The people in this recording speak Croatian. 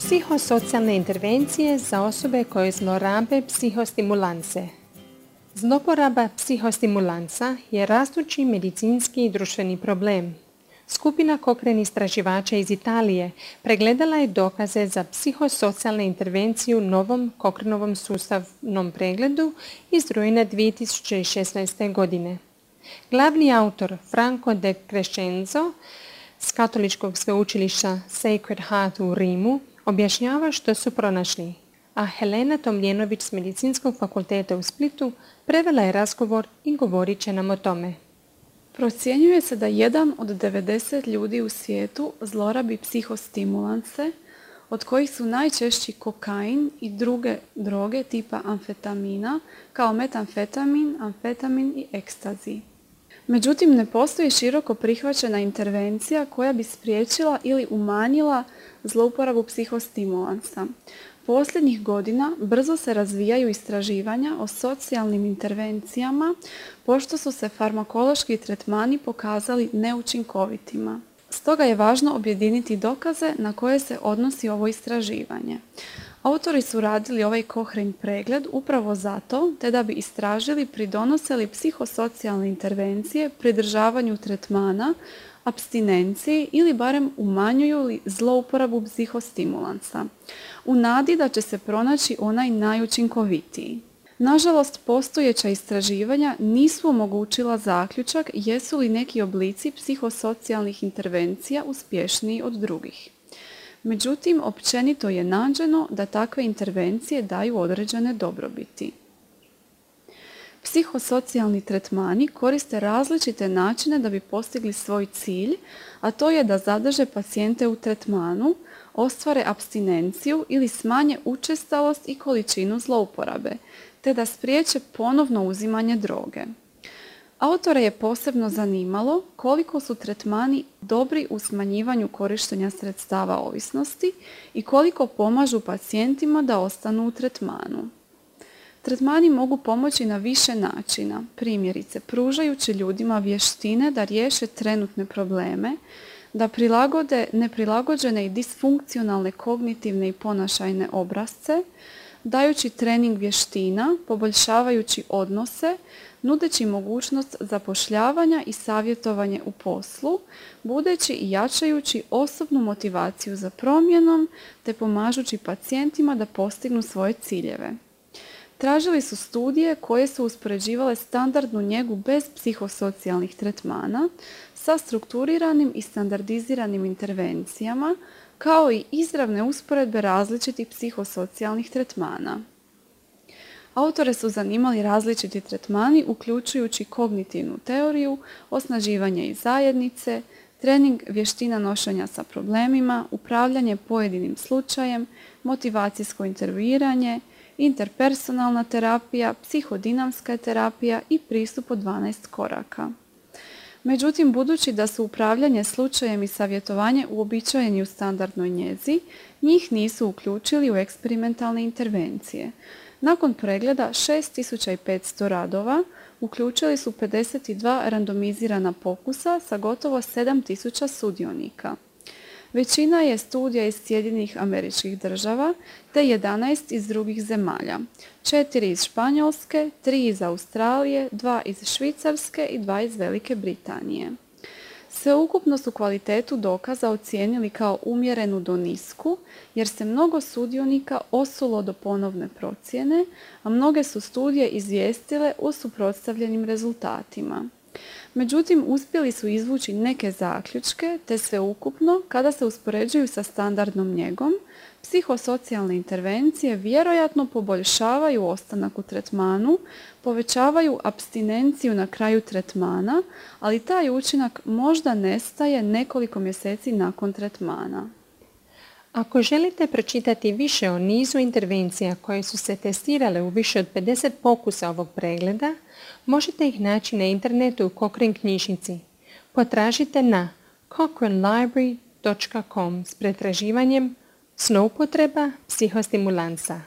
Psihosocijalne intervencije za osobe koje zlorabe psihostimulanse. Zloporaba psihostimulansa je rastući medicinski i društveni problem. Skupina Cochrane istraživača iz Italije pregledala je dokaze za psihosocijalne intervencije u novom Cochranovom sustavnom pregledu iz rujna 2016. godine. Glavni autor Franco De Crescenzo s Katoličkog sveučilišta Sacred Heart u Rimu objašnjava što su pronašli, a Helena Tomljenović s Medicinskog fakulteta u Splitu prevela je razgovor i govorit će nam o tome. Procjenjuje se da 1 od 90 ljudi u svijetu zlorabi psihostimulanse, od kojih su najčešći kokain i druge droge tipa amfetamina, kao metamfetamin, amfetamin i ekstazi. Međutim, ne postoji široko prihvaćena intervencija koja bi spriječila ili umanjila zlouporabu psihostimulansa. Posljednjih godina brzo se razvijaju istraživanja o socijalnim intervencijama, pošto su se farmakološki tretmani pokazali neučinkovitima. Stoga je važno objediniti dokaze na koje se odnosi ovo istraživanje. Autori su radili ovaj Cochrane pregled upravo zato, te da bi istražili pridonose li psihosocijalne intervencije pridržavanju tretmana, apstinenciji ili barem umanjuju li zlouporabu psihostimulansa, u nadi da će se pronaći onaj najučinkovitiji. Nažalost, postojeća istraživanja nisu omogućila zaključak jesu li neki oblici psihosocijalnih intervencija uspješniji od drugih. Međutim, općenito je nađeno da takve intervencije daju određene dobrobiti. Psihosocijalni tretmani koriste različite načine da bi postigli svoj cilj, a to je da zadrže pacijente u tretmanu, ostvare apstinenciju ili smanje učestalost i količinu zlouporabe, te da spriječe ponovno uzimanje droge. Autore je posebno zanimalo koliko su tretmani dobri u smanjivanju korištenja sredstava ovisnosti i koliko pomažu pacijentima da ostanu u tretmanu. Tretmani mogu pomoći na više načina, primjerice pružajući ljudima vještine da riješe trenutne probleme, da prilagode neprilagođene i disfunkcionalne kognitivne i ponašajne obrasce, dajući trening vještina, poboljšavajući odnose, nudeći mogućnost zapošljavanja i savjetovanje u poslu, budeći i jačajući osobnu motivaciju za promjenom, te pomažući pacijentima da postignu svoje ciljeve. Tražili su studije koje su uspoređivale standardnu njegu bez psihosocijalnih tretmana sa strukturiranim i standardiziranim intervencijama, kao i izravne usporedbe različitih psihosocijalnih tretmana. Autore su zanimali različiti tretmani, uključujući kognitivnu teoriju, osnaživanje iz zajednice, trening vještina nošenja sa problemima, upravljanje pojedinim slučajem, motivacijsko intervjuiranje, interpersonalna terapija, psihodinamska terapija i pristup od 12 koraka. Međutim, budući da su upravljanje slučajem i savjetovanje uobičajeni u standardnoj njezi, njih nisu uključili u eksperimentalne intervencije. Nakon pregleda 6500 radova uključili su 52 randomizirana pokusa sa gotovo 7000 sudionika. Većina je studija iz Sjedinjenih Američkih Država te 11 iz drugih zemalja, 4 iz Španjolske, 3 iz Australije, 2 iz Švicarske i 2 iz Velike Britanije. Sveukupno su kvalitetu dokaza ocijenili kao umjerenu do nisku, jer se mnogo sudionika osulo do ponovne procjene, a mnoge su studije izvijestile o suprotstavljenim rezultatima. Međutim, uspjeli su izvući neke zaključke, te sveukupno, kada se uspoređuju sa standardnom njegom, psihosocijalne intervencije vjerojatno poboljšavaju ostanak u tretmanu, povećavaju apstinenciju na kraju tretmana, ali taj učinak možda nestaje nekoliko mjeseci nakon tretmana. Ako želite pročitati više o nizu intervencija koje su se testirale u više od 50 pokusa ovog pregleda, možete ih naći na internetu u Cochrane knjižnici. Potražite na cochranelibrary.com s pretraživanjem zloupotreba psihostimulansa.